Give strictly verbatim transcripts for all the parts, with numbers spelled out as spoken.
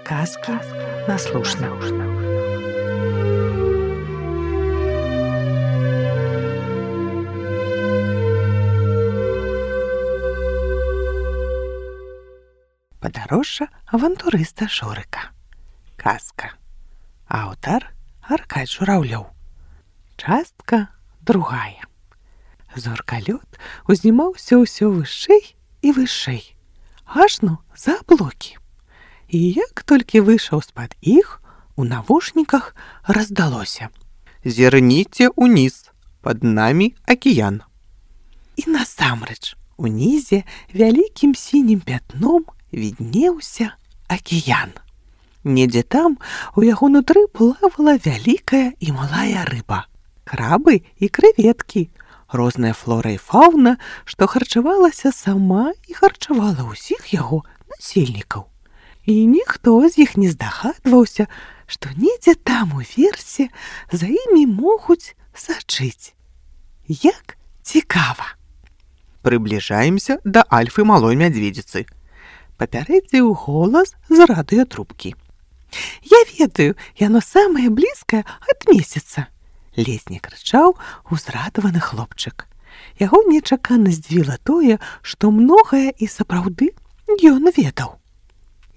Сказки на слушна. Падарожжа авантурыста Шурыка. Казка. Аўтар Аркадзь Жураўлёў. Частка другая. Зоркалёт узнімаўся ўсё вышэй і вышэй, ажно за аблокі. І як толькі выйшаў з-пад іх, у навушніках раздалося: «Зірніце ўніз, пад намі акіян». І насамрэч, унізе вялікім сінім пятном віднеўся акіян. Недзе там у яго нутры плавала вялікая і малая рыба, крабы і крэветкі, розная флора і фаўна, што харчавалася сама і харчавала ўсіх яго насельнікаў. І ніхто з іх не здагадваўся, што недзе там уверсе за імі могуць сачыць. Як цікава! «Прыбліжаемся да альфы малой мядзведзіцы», папярэдзіў голас з радыётрубкі. «Я ведаю, яно самае блізкае ад месяца», ледзь не крычаў узрадаваны хлопчык. Яго нечакана здзівіла тое, што многае і сапраўды ён ведаў.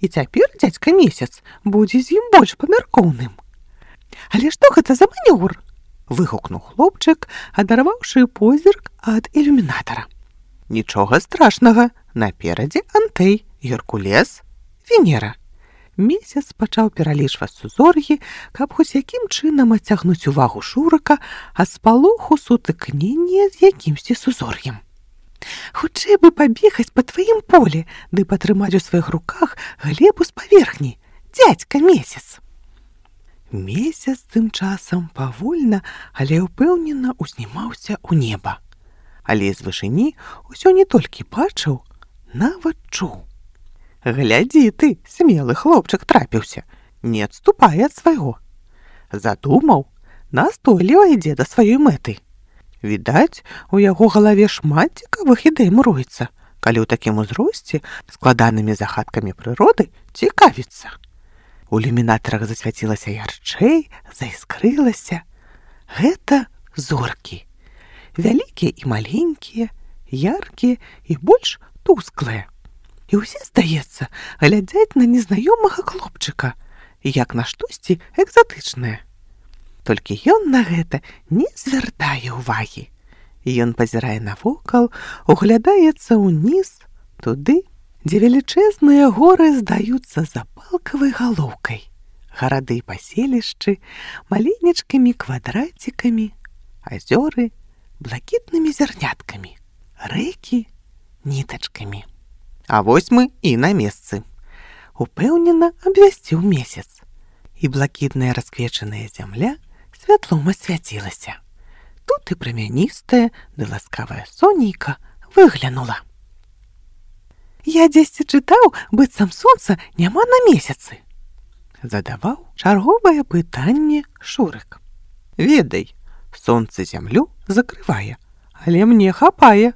І цяпер дзядзька месяц будзе з ім больш памяркоўным. «Але што гэта за манёвр?» — выгукнуў хлопчык, адарваўшы позірк ад ілюмінатара. «Нічога страшнага, наперадзе Антэй, Геркулес, Венера». Месяц пачаў пералічваць сузор'і, каб хоць якім чынам адцягнуць увагу Шурыка ад спалоху сутыкнення з якімсьці сузор'ем. «Хутчэй бы пабегаць па тваім полі, ды патрымаць у сваіх руках глебу з паверхні, дзядзька месяц». Месяц тым часам павольна, але ўпэўнена узнімаўся ў неба. Але з вышыні ўсё не толькі бачыў, нават чуў. «Глядзі ты, смелы хлопчык трапіўся, не адступай ад свайго». Задумаў, настойліва ідзе да сваёй мэты. Відаць, у яго галаве шмат цікавых ідэй муруецца, калі ў такім узросце складанымі загадкамі прыроды цікавіцца. У ілюмінатарах засвяцілася ярчэй, заіскрылася. Гэта зоркі. Вялікія і маленькія, яркія і больш тусклыя. І ўсе, здаецца, глядзяць на незнаёмага хлопчыка, як на штосьці экзатычнае. Толькі ён на гэта не звяртае ўвагі. Ён пазірае навокал, углядаецца ўніз, туды, дзе велічэзныя горы здаюцца запалкавай галоўкай, гарады і паселішчы маленечкімі квадрацікамі, азёры блакітнымі зярняткамі, рэкі нітачкамі. «А вось мы і на месцы», упэўнена абвясціў месяц. І блакітная расквечаная зямля святлом асвяцілася. Тут і прамяністая ды ласкавая сонейка выглянула. «Я дзесьці чытаў, быццам сонца няма на месяцы», задаваў чарговае пытанне Шурык. «Ведай, сонца зямлю закрывае, але мне хапае»,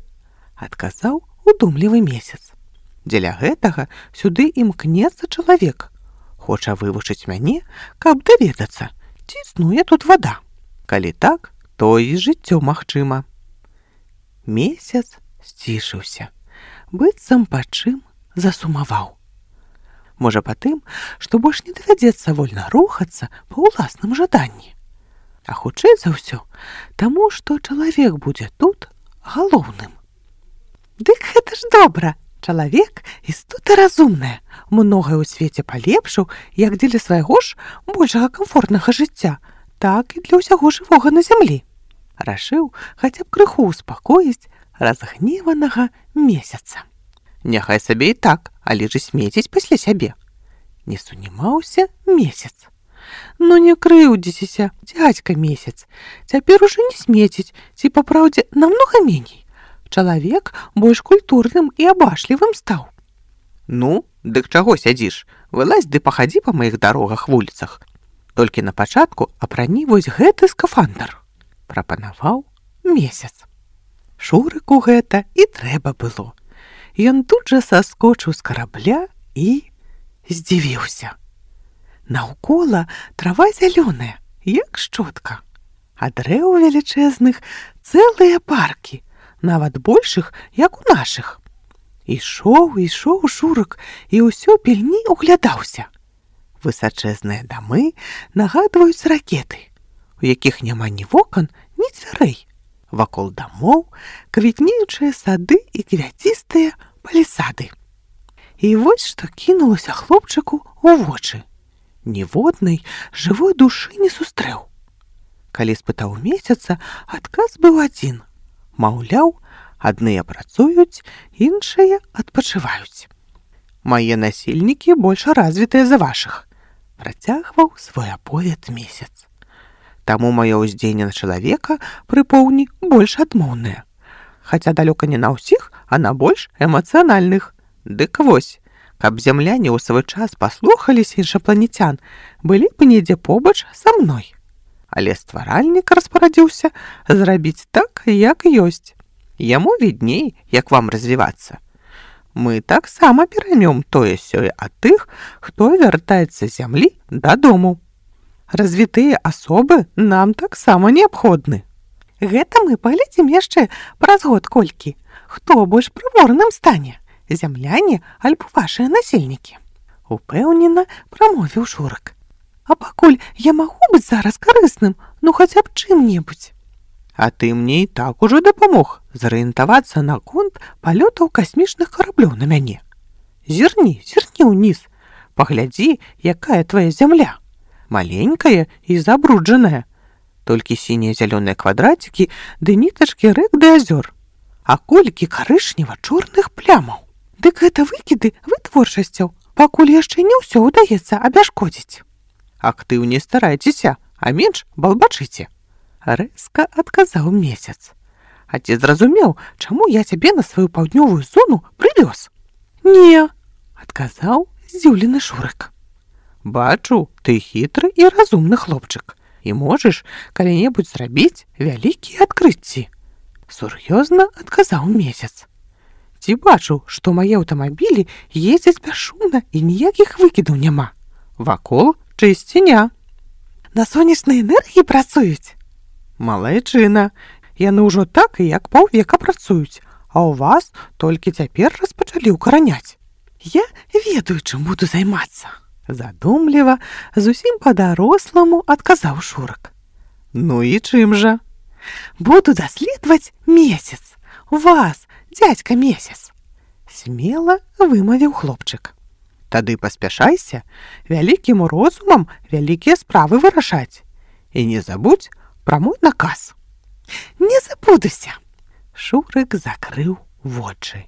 адказаў удумлівы месяц. «Дзеля гэтага сюды імкнецца чалавек. Хоча вывучыць мяне, каб даведацца, ці існуе тут вада. Калі так, то і жыццё магчыма». Месяц сцішыўся, быццам па чым засумаваў. Можа, па тым, што больш не давядзецца вольна рухацца па ўласным жаданні. А хутчэй за ўсё, таму, што чалавек будзе тут галоўным. «Дык гэта ж добра! Чалавек істота разумная, многае ў свеце палепшыў як дзеля свайго ж большага камфортнага жыцця, так і для ўсяго жывога на зямлі», рашыў хаця б крыху ўспакоіць разгневанага месяца. «Няхай сабе і так, але ж смеціць пасля сябе». Не сунімаўся месяц. «Ну не крыўдзіцеся, дзядзька месяц, цяпер ужо не смеціць, ці па праўдзе намнога меней. Чалавек больш культурным і абашлівым стаў». «Ну, дык чаго сядзіш? Вылазь ды пахадзі па маіх дарогах, вуліцах. Толькі на пачатку апрані вось гэты скафандр», прапанаваў месяц. Шурыку гэта і трэба было. Ён тут жа саскочыў з карабля і здзівіўся. Наўкола трава зялёная, як шчотка, а дрэў велічэзных цэлыя паркі, нават большых, як у нашых. Ішоў, ішоў Шурык і ўсё пільней углядаўся. Высачэзныя дамы нагадваюць ракеты, у якіх няма ні вокон, ні дзвярэй. Вакол дамоў квітнеючыя сады і квяцістыя палісады. І вось што кінулася хлопчыку ў вочы. Ніводнай жывой душы не сустрэў. Калі спытаў месяца, адказ быў адзін. Маўляў, адныя працуюць, іншыя адпачываюць. Мае насельнікі больш развітыя за вашых, працягваў свой аповед месяц. Таму маё ўздзеянне на чалавека пры поўні больш адмоўнае. Хаця далёка не на ўсіх, а на больш эмацыянальных. Дык вось, каб зямляне ў свой час паслухаліся іншапланецян, былі б недзе побач са мной. Але стваральнік распарадзіўся зрабіць так, як ёсць. Яму відней, як вам развівацца. Мы таксама пераймём тое-сёе ад тых, хто вяртаецца з зямлі дадому. Развітыя асобы нам таксама неабходны. Гэта мы паглядзім яшчэ праз год колькі. Хто больш прыворным стане? Зямляне альбо вашыя насельнікі? Упэўнена прамовіў Шурык. А пакуль я магу быць зараз карысным, ну хаця б чым-небудзь. А ты мне і так ужо дапамог зарыентавацца наконт палётаў касмічных караблёў на мяне. Зірні, зірні ўніз, паглядзі, якая твая зямля. Маленькая і забруджаная. Толькі сінія зялёныя квадрацікі ды нітачкі рэк ды азёр. А колькі карычнева-чорных плямаў. Дык гэта выкіды вытворчасцяў, пакуль яшчэ не ўсё ўдаецца абяшкодзіць. Актыўней старайцеся, а менш балбачыце. Рэзка адказаў месяц. А ці зразумеў, чаму я цябе на сваю паўднёвую зону прывёз? Не, адказаў здзіўлены Шурык. Бачу, ты хітры і разумны хлопчык, і можаш калі-небудзь зрабіць вялікія адкрыцці. Сур'ёзна адказаў месяц. Ці бачу, што мае аўтамабілі ездзяць бясшумна і ніякіх выкідаў няма. Вакол чысціня. На сонечнай энергіі працуюць? Малайчына. Яны ўжо так і як паўвека працуюць, а ў вас толькі цяпер распачалі ўкараняць. Я ведаю, чым буду займацца. Задумліва, зусім па-даросламу адказаў Шурык. Ну і чым жа? Буду даследаваць месяц. Вас, дзядзька месяц. Смела вымавіў хлопчык. Тады паспяшайся, вялікім розумам вялікія справы вырашаць. І не забудзь пра мой наказ. Не забудуся. Шурык закрыў вочы.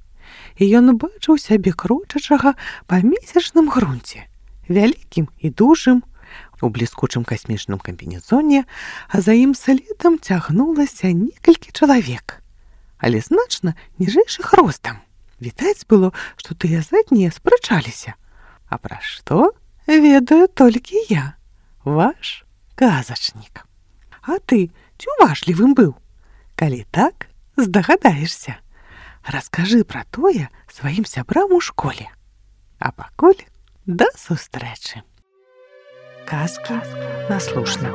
І ён бачыў сябе крочачага па месячным грунце, вялікім і дужым, у бліскучым касмічным камбінезоне, а за ім следам цягнулася некалькі чалавек, але значна ніжэйшых ростам. Відаць было, што тыя заднія спрачаліся. А пра што ведаю толькі я, ваш казачнік. А ты ці уважлівым быў? Калі так, здагадаешся. Раскажы пра тое сваім сябрам у школе. А пакуль да сустрэчы. Казкі на слушна.